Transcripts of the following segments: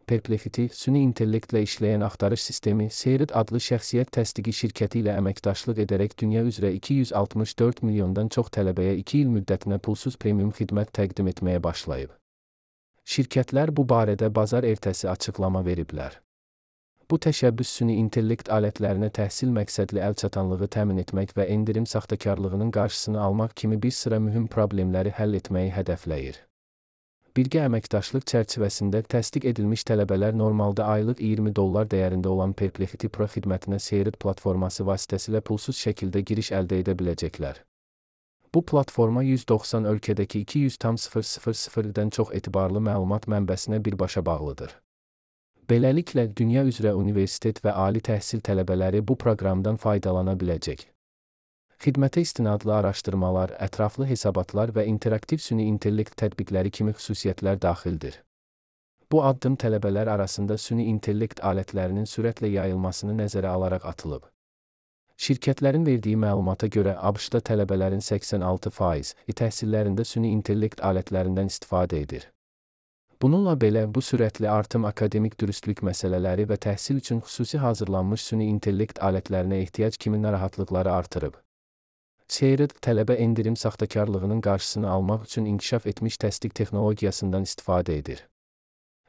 Perplexity, süni intellektlə işləyən axtarış sistemi, Serid adlı şəxsiyyət təsdiqi şirkəti ilə əməkdaşlıq edərək dünya üzrə 264 milyondan çox tələbəyə 2 il müddətinə pulsuz premium xidmət təqdim etməyə başlayıb. Şirkətlər bu barədə bazar ertəsi açıqlama veriblər. Bu təşəbbüs süni intellekt alətlərinə təhsil məqsədli əlçatanlığı təmin etmək və endirim saxtakarlığının qarşısını almaq kimi bir sıra mühüm problemləri həll etməyi hədəfləyir. Birgə əməkdaşlıq çərçivəsində təsdiq edilmiş tələbələr normalda aylıq $20 dəyərində olan Perplexity Pro xidmətinə Serid platforması vasitəsilə pulsuz şəkildə giriş əldə edə biləcəklər. Bu platforma 190 ölkədəki 200,000-dən çox etibarlı məlumat mənbəsinə birbaşa bağlıdır. Beləliklə, dünya üzrə universitet və ali təhsil tələbələri bu proqramdan faydalana biləcək. Xidmətə istinadlı araşdırmalar, ətraflı hesabatlar və interaktiv süni intellekt tətbiqləri kimi xüsusiyyətlər daxildir. Bu addım tələbələr arasında süni intellekt alətlərinin sürətlə yayılmasını nəzərə alaraq atılıb. Şirkətlərin verdiyi məlumata görə ABŞ-da tələbələrin 86% təhsillərində süni intellekt alətlərindən istifadə edir. Bununla belə, bu sürətli artım akademik dürüstlük məsələləri və təhsil üçün xüsusi hazırlanmış süni intellekt alətlərinə ehtiyac kimi narahatlıqları artırıb. Serid, tələbə endirim saxtakarlığının qarşısını almaq üçün inkişaf etmiş təsdiq texnologiyasından istifadə edir.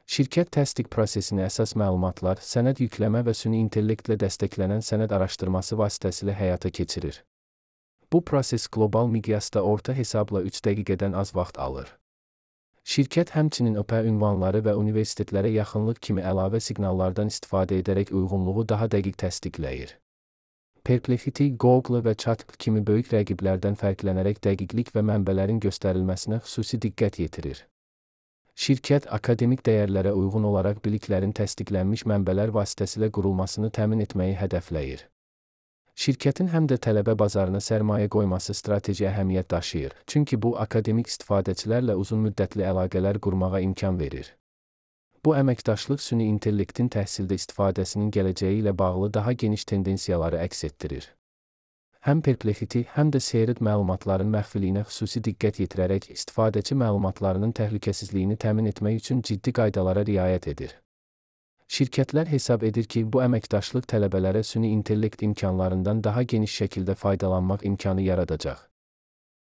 Şirkət təsdiq prosesini əsas məlumatlar, sənəd yükləmə və süni intellektlə dəstəklənən sənəd araşdırması vasitəsilə həyata keçirir. Bu proses qlobal miqyasda orta hesabla 3 dəqiqədən az vaxt alır. Şirkət həmçinin IP ünvanları və universitetlərə yaxınlıq kimi əlavə siqnallardan istifadə edərək uyğunluğu daha dəqiq təsdiqləyir. Perplexity, Google və Chat kimi böyük rəqiblərdən fərqlənərək dəqiqlik və mənbələrin göstərilməsinə xüsusi diqqət yetirir. Şirkət, akademik dəyərlərə uyğun olaraq biliklərin təsdiqlənmiş mənbələr vasitəsilə qurulmasını təmin etməyi hədəfləyir. Şirkətin həm də tələbə bazarına sərmayə qoyması strateji əhəmiyyət daşıyır, çünki bu, akademik istifadəçilərlə uzun müddətli əlaqələr qurmağa imkan verir. Bu əməkdaşlıq süni intellektin təhsildə istifadəsinin gələcəyi ilə bağlı daha geniş tendensiyaları əks etdirir. Həm Perplexity, həm də Serid məlumatların məxfiliyinə xüsusi diqqət yetirərək istifadəçi məlumatlarının təhlükəsizliyini təmin etmək üçün ciddi qaydalara riayət edir. Şirkətlər hesab edir ki, bu əməkdaşlıq tələbələrə süni intellekt imkanlarından daha geniş şəkildə faydalanmaq imkanı yaradacaq.